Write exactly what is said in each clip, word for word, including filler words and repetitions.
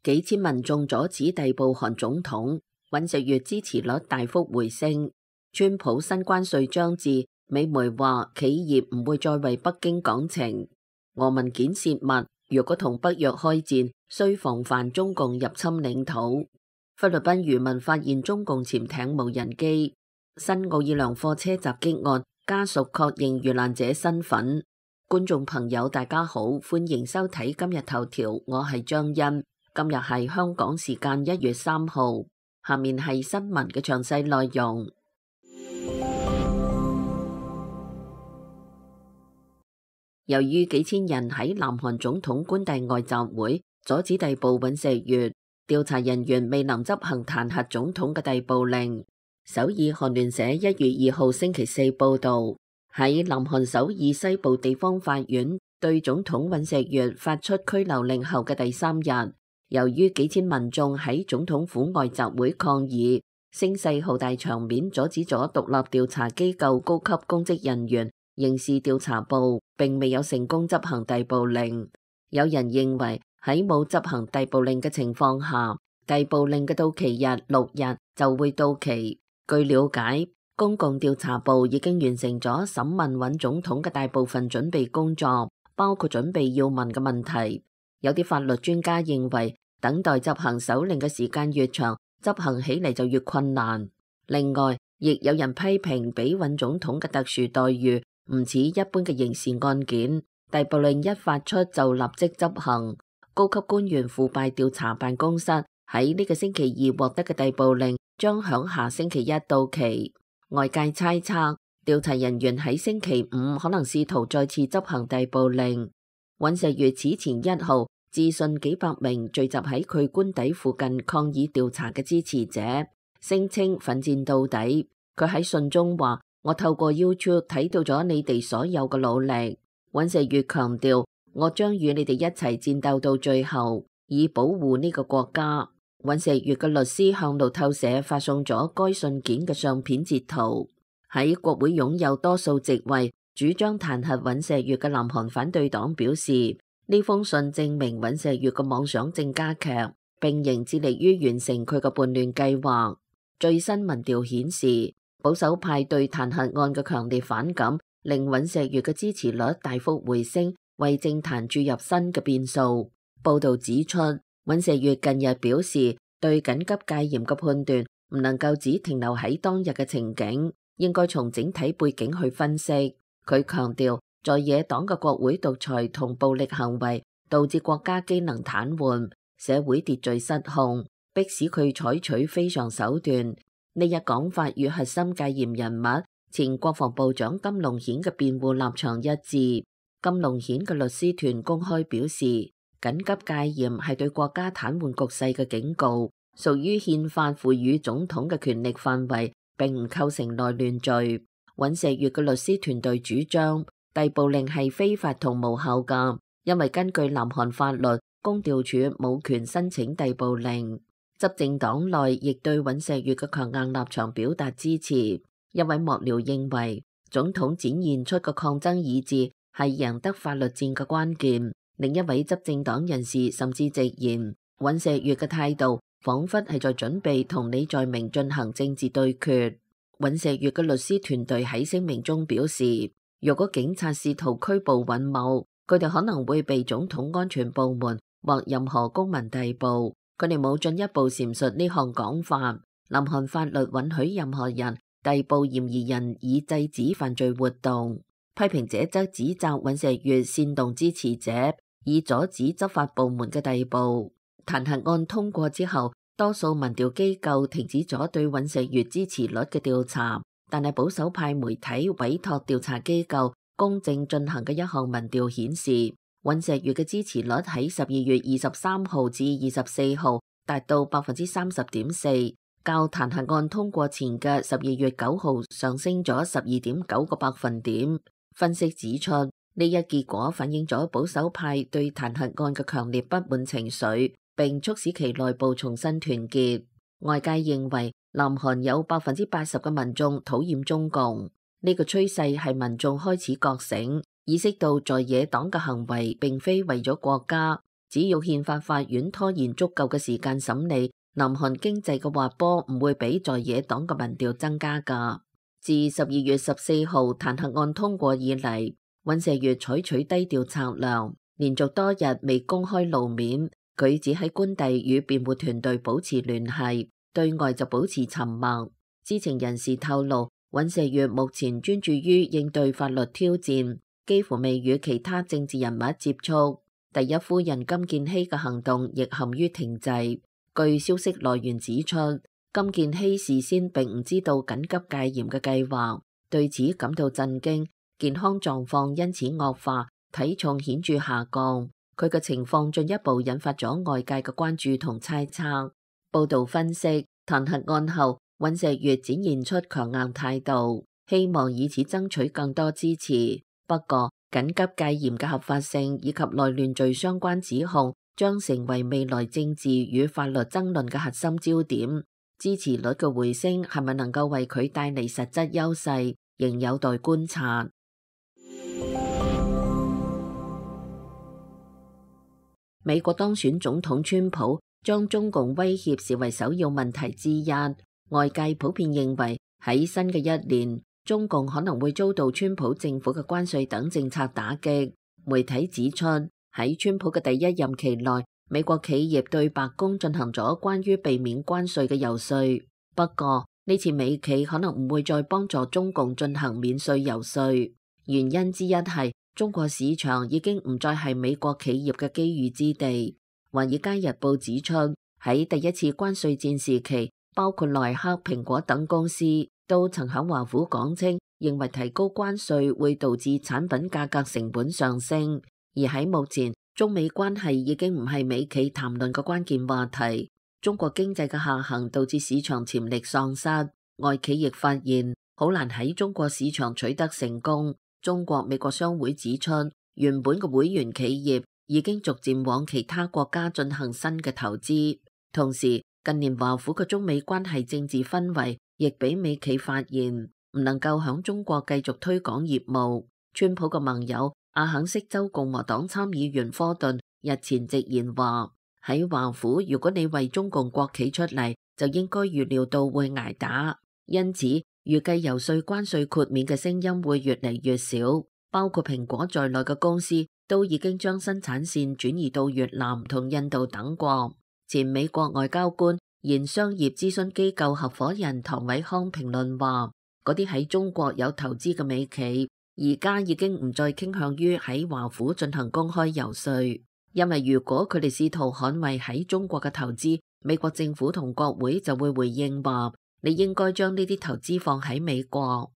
幾千民眾阻止逮捕韓總統，尹錫悅支持率大幅回升。川普新關稅將至，美媒話企業唔會再為北京講情。俄文件泄密，若果同北約開戰，需防範中共入侵領土。菲律賓漁民發現中共潛艇無人機。新奧爾良貨車襲擊案，家屬確認遇難者身份。觀眾朋友大家好，歡迎收睇今日頭條，我係張欣。今日係香港時間一月三號，下面係新聞嘅詳細內容。由於幾千人喺南韓總統官邸外集會，阻止逮捕尹錫悅，調查人員未能執行彈劾總統嘅逮捕令。首爾韓聯社一月二號星期四報道，喺南韓首爾西部地方法院對總統尹錫悅發出拘留令後嘅第三日，由於幾千民眾喺總統府外集會抗議，聲勢浩大場面阻止咗獨立調查機構高級公職人員刑事調查部並未有成功執行逮捕令。有人認為喺冇執行逮捕令嘅情況下，逮捕令嘅到期日六日就會到期。據了解，公共調查部已經完成咗審問尹總統嘅大部分準備工作，包括準備要問嘅問題。有啲法律專家認為，等待執行手令嘅時間越長，執行起嚟就越困難。另外，亦有人批評俾尹總統嘅特殊待遇唔似一般嘅刑事案件，逮捕令一發出就立即執行。高級官員腐敗調查辦公室喺呢個星期二獲得嘅逮捕令將響下星期一到期。外界猜測，調查人員喺星期五可能試圖再次執行逮捕令。尹錫悅此前一號致信幾百名聚集喺佢官邸附近抗議調查嘅支持者，聲稱奮戰到底。佢喺信中話：我透過 YouTube 睇到咗你哋所有嘅努力。尹錫悅強調：我將與你哋一齊戰鬥到最後，以保護呢個國家。尹錫悅嘅律師向路透社發送咗該信件嘅相片截圖。喺國會擁有多數席位、主張彈劾尹錫悅嘅南韓反對黨表示，呢封信證明尹錫悅嘅妄想正加劇，並仍致力於完成佢嘅叛亂計劃。最新民調顯示，保守派對彈劾案嘅強烈反感，令尹錫悅嘅支持率大幅回升，為政壇注入新嘅變數。報道指出，尹錫悅近日表示，對緊急戒嚴嘅判斷唔能夠只停留喺當日嘅情景，應該從整體背景去分析。佢強調，在野黨嘅國會獨裁同暴力行為導致國家機能癱瘓，社會秩序失控，迫使佢採取非常手段。呢一講法與核心戒嚴人物前國防部長金龍顯嘅辯護立場一致。金龍顯嘅律師團公開表示，緊急戒嚴係對國家癱瘓局勢嘅警告，屬於憲法賦予總統嘅權力範圍，並唔構成內亂罪。尹錫悅嘅律師團隊主張，逮捕令係非法同無效㗎，因為根據南韓法律，公調處冇權申請逮捕令。執政黨內亦對尹錫悅嘅強硬立場表達支持。一位幕僚認為，總統展現出嘅抗爭意志係贏得法律戰嘅關鍵。另一位執政黨人士甚至直言，尹錫悅嘅態度彷彿係在準備同李在明進行政治對決。尹錫悅嘅律師團隊喺聲明中表示，如果警察試圖拘捕尹某，佢哋可能會被總統安全部門或任何公民逮捕。佢哋冇進一步闡述呢項講法。南韓法律允許任何人逮捕嫌疑人以制止犯罪活動。批評者則指責尹錫悅煽動支持者，以阻止執法部門嘅逮捕。彈劾案通過之後，多數民調機構停止咗對尹錫悅支持率嘅調查，但係保守派媒體委託調查機構公正進行嘅一項民調顯示，尹錫悅嘅支持率喺十二月二十三號至二十四號達到百分之三十點四，較彈劾案通過前嘅十二月九號上升咗十二點九個百分點。分析指出，呢一結果反映咗保守派對彈劾案嘅強烈不滿情緒，並促使其內部重新團結。外界認為，南韓有百分之八十嘅民眾討厭中共，呢個趨勢係民眾開始覺醒，意識到在野黨嘅行為並非為咗國家，只要憲法法院拖延足夠嘅時間審理，南韓經濟嘅滑坡唔會比在野黨嘅民調增加㗎。自十二月十四號彈劾案通過以嚟，尹錫悅採取低調策略，連續多日未公開露面，佢只喺官邸與辯護團隊保持聯繫，對外就保持沉默。知情人士透露，尹錫悅目前專注於應對法律挑戰，幾乎未與其他政治人物接觸。第一夫人金建希嘅行動亦陷於停滯。據消息來源指出，金建希事先並唔知道緊急戒嚴嘅計劃，對此感到震驚，健康狀況因此惡化，體重顯著下降。佢嘅情況進一步引發咗外界嘅關注同猜測。報道分析，彈劾案後，尹錫悅展現出強硬態度，希望以此爭取更多支持。不過，緊急戒嚴嘅合法性以及內亂罪相關指控將成為未來政治與法律爭論嘅核心焦點。支持率嘅回升係咪能夠為佢帶嚟實質優勢，仍有待觀察。美國當選總統川普將中共威脅視為首要問題之一，外界普遍認為喺新嘅一年，中共可能會遭到川普政府嘅關稅等政策打擊。媒體指出，喺川普嘅第一任期內，美國企業對白宮進行咗關於避免關稅嘅遊說。不過呢次美企可能唔會再幫助中共進行免稅遊說，原因之一係中國市場已經唔再係美國企業嘅機遇之地。華爾街日報指出，喺第一次關稅戰時期，包括耐克、蘋果等公司都曾響華府講清，認為提高關稅會導致產品價格成本上升。而喺目前，中美關係已經唔係美企談論嘅關鍵話題。中國經濟嘅下行導致市場潛力喪失，外企亦發現好難喺中國市場取得成功。中國美國商會指出，原本嘅會員企業已經逐漸往其他國家進行新嘅投資。同時，近年華府嘅中美關係政治氛圍亦俾美企發現唔能夠響中國繼續推廣業務。川普嘅盟友阿肯色州共和黨參議員科頓日前直言話，喺華府，如果你為中共國企出嚟，就應該預料到會挨打。因此，預計遊說關稅豁免嘅聲音會越嚟越少。包括蘋果在內嘅公司都已經將生產線轉移到越南同印度等國。前美國外交官、現商業諮詢機構合夥人唐偉康評論話，嗰啲喺中國有投資嘅美企，而家已經唔再傾向於喺華府進行公開遊說，因為如果佢哋試圖捍衛喺中國嘅投資，美國政府同國會就會回應話，你應該將呢啲投資放喺美國。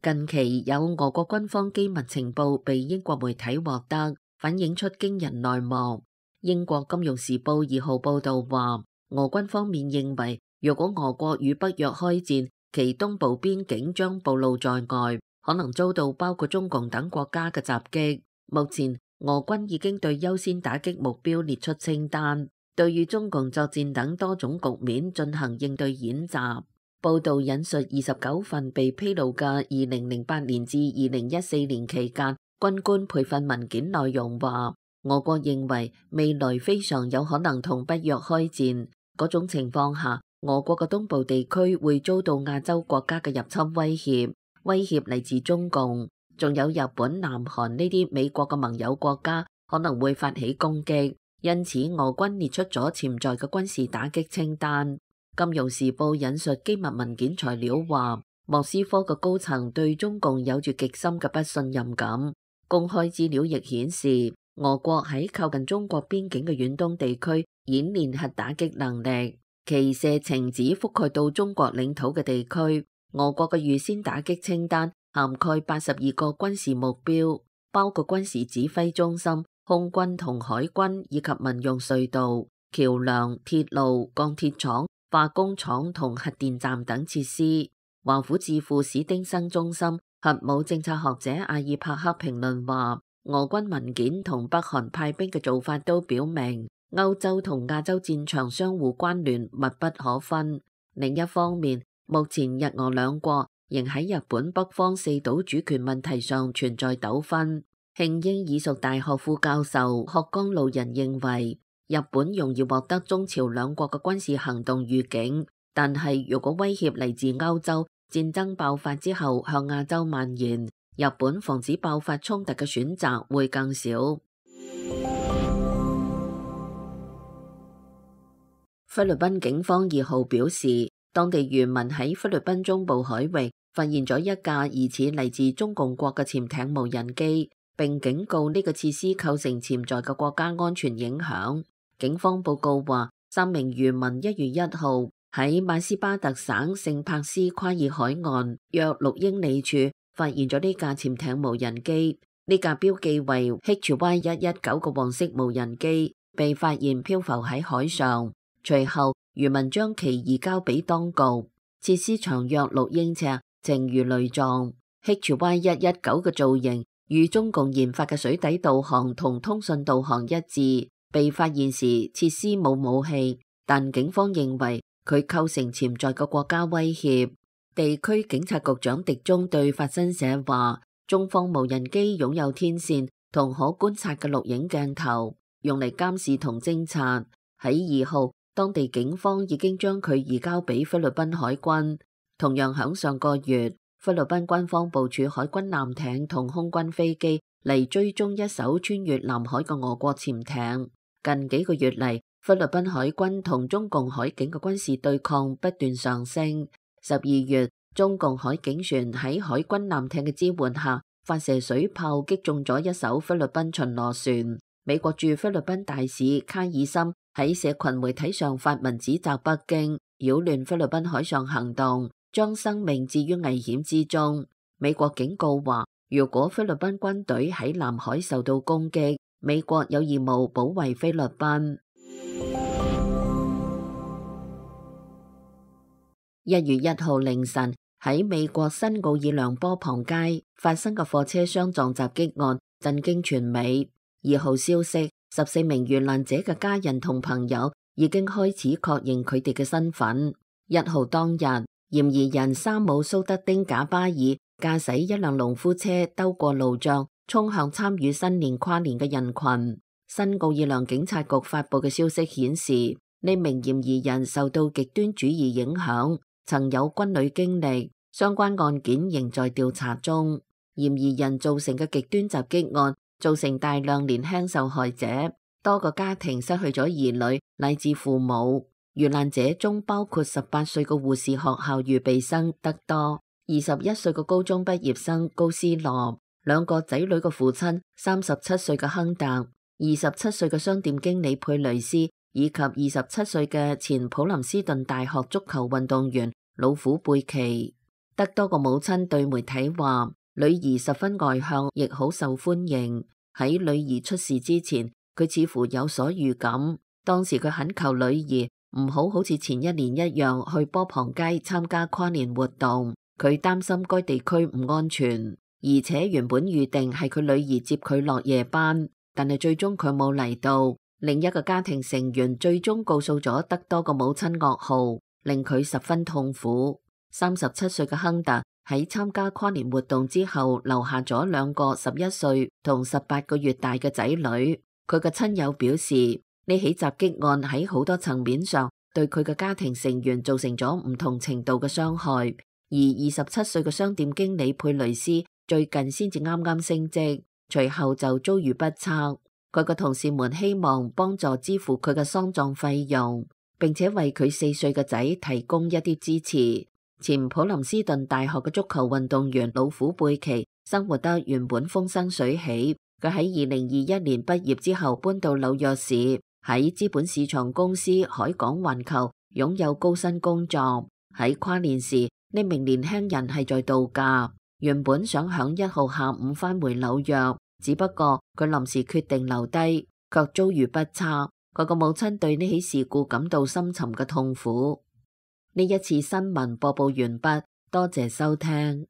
近期有俄國軍方機密情報被英國媒體獲得，反映出驚人內幕。英國金融時報二號報道話，俄軍方面認為，如果俄國與北約開戰，其東部邊境將暴露在外，可能遭到包括中共等國家嘅襲擊。目前，俄軍已經對優先打擊目標列出清單，對與中共作戰等多種局面進行應對演習。報道引述二十九份被披露嘅二零零八年至二零一四年期間軍官培訓文件內容話，俄國認為未來非常有可能同北約開戰，嗰種情況下，俄國嘅東部地區會遭到亞洲國家嘅入侵威脅，威脅嚟自中共，仲有日本、南韓呢啲美國嘅盟友國家可能會發起攻擊，因此俄軍列出咗潛在嘅軍事打擊清單。金融時報引述機密文件材料話，莫斯科嘅高層對中共有住極深嘅不信任感。公開資料亦顯示，俄國喺靠近中國邊境嘅遠東地區演練核打擊能力，其射程只覆蓋到中國領土嘅地區。俄國嘅預先打擊清單涵蓋八十二個軍事目標，包括軍事指揮中心、空軍同海軍以及民用隧道、橋樑、鐵路、鋼鐵廠、化工廠同核電站等設施。華府智庫史丁生中心核武政策學者阿爾帕克評論話，俄軍文件同北韓派兵嘅做法都表明，歐洲同亞洲戰場相互關聯，密不可分。另一方面，目前日俄兩國仍喺日本北方四島主權問題上存在糾紛。慶應義塾大學副教授鶴江路人認為，日本容易獲得中朝兩國嘅軍事行動預警，但係如果威脅嚟自歐洲，戰爭爆發之後向亞洲蔓延，日本防止爆發衝突嘅選擇會更少。菲律賓警方二號表示，當地漁民喺菲律賓中部海域發現咗一架疑似嚟自中共國嘅潛艇無人機，並警告呢個設施構成潛在嘅國家安全影響。警方報告話，三名漁民一月一號喺馬斯巴特省聖帕斯夸爾海岸約六英里處發現咗呢架潛艇無人機。呢架標記為 H Y 一一九嘅黃色無人機被發現漂浮喺海上。隨後，漁民將其移交俾當局。設施長約六英尺，呈魚雷狀。H Y 一一九嘅造型與中共研發嘅水底導航同通訊導航一致。被發現時，設施冇武器，但警方認為佢構成潛在嘅國家威脅。地區警察局長狄中對法新社話，中方無人機擁有天線同可觀察嘅錄影鏡頭，用嚟監視同偵察。喺二號，當地警方已經將佢移交俾菲律賓海軍。同樣響上個月，菲律賓軍方部署海軍艦艇同空軍飛機嚟追蹤一艘穿越南海嘅俄國潛艇。近幾個月嚟，菲律賓海軍同中共海警嘅軍事對抗不斷上升。十二月，中共海警船喺海軍艦艇嘅支援下，發射水炮擊中咗一艘菲律賓巡邏船。美國駐菲律賓大使卡爾森喺社群媒體上發文指責北京擾亂菲律賓海上行動，將生命置於危險之中。美國警告話，如果菲律賓軍隊喺南海受到攻擊，美國有義務保衛菲律賓。一月一號凌晨，喺美國新奧爾良波旁街發生嘅貨車相撞襲擊案震驚全美。二號消息，十四名遇難者嘅家人同朋友已經開始確認佢哋嘅身份。一號當日，嫌疑人沙姆蘇德丁賈巴爾駕駛一輛農夫車兜過路障，衝向參與新年跨年嘅人群。新奧爾良警察局發佈嘅消息顯示，呢名嫌疑人受到極端主義影響，曾有軍旅經歷，相關案件仍在調查中。嫌疑人造成嘅極端襲擊案造成大量年輕受害者，多個家庭失去咗兒女乃至父母。遇難者中包括十八歲嘅護士學校預備生德多，二十一歲嘅高中畢業生高斯羅，兩個仔女嘅父親三十七歲嘅亨特，二十七歲嘅商店經理佩雷斯，以及二十七歲嘅前普林斯頓大學足球運動員老虎貝奇。德多個母親對媒體話，女兒十分外向，亦好受歡迎。喺女兒出事之前，佢似乎有所預感。當時佢懇求女兒唔好好似前一年一樣去波旁街參加跨年活動，佢擔心該地區唔安全，而且原本預定係佢女兒接佢落夜班，但係最終佢冇嚟到。另一個家庭成員最終告訴咗德多個母親噩耗，令佢十分痛苦。三十七歲嘅亨特喺參加跨年活動之後，留下咗兩個十一歲同十八個月大嘅仔女。佢嘅親友表示，呢起襲擊案喺好多層面上對佢嘅家庭成員造成咗唔同程度嘅傷害。而二十七歲嘅商店經理佩雷斯最近先至啱啱升職，隨後就遭遇不測。佢嘅同事們希望幫助支付佢嘅喪葬費用，並且為佢四歲嘅仔提供一啲支持。前普林斯頓大學嘅足球運動員老虎貝奇生活得原本風生水起，佢喺二零二一年畢業之後搬到紐約市，喺資本市場公司海港環球擁有高薪工作。喺跨年時，呢名年輕人係在度假，原本想響一號下午返回紐約，只不過佢臨時決定留低，卻遭遇不測。佢個母親對呢起事故感到深沉嘅痛苦。呢一次新聞播報完畢，多謝收聽。